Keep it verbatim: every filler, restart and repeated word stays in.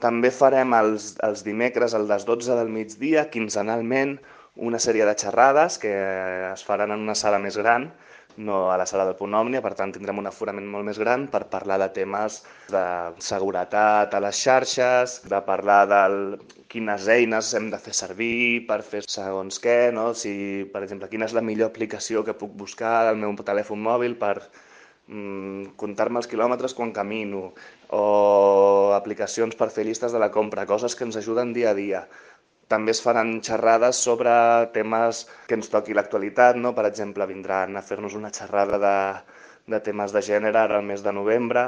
També farem els, els dimecres a les dotze del migdia, quinzenalment, una sèrie de xerrades que es faran en una sala més gran, no a la sala del Punt Òmnia, per tant tindrem un aforament molt més gran per parlar de temes de seguretat a les xarxes, de parlar de quines eines hem de fer servir per fer segons què, no? Si, per exemple, quina és la millor aplicació que puc buscar al meu telèfon mòbil per mm, comptar-me els quilòmetres quan camino, o aplicacions per fer llistes de la compra, coses que ens ajuden dia a dia. També es faran xerrades sobre temes que ens toqui l'actualitat, no? Per exemple, vindran a fer-nos una xerrada de, de temes de gènere ara al mes de novembre.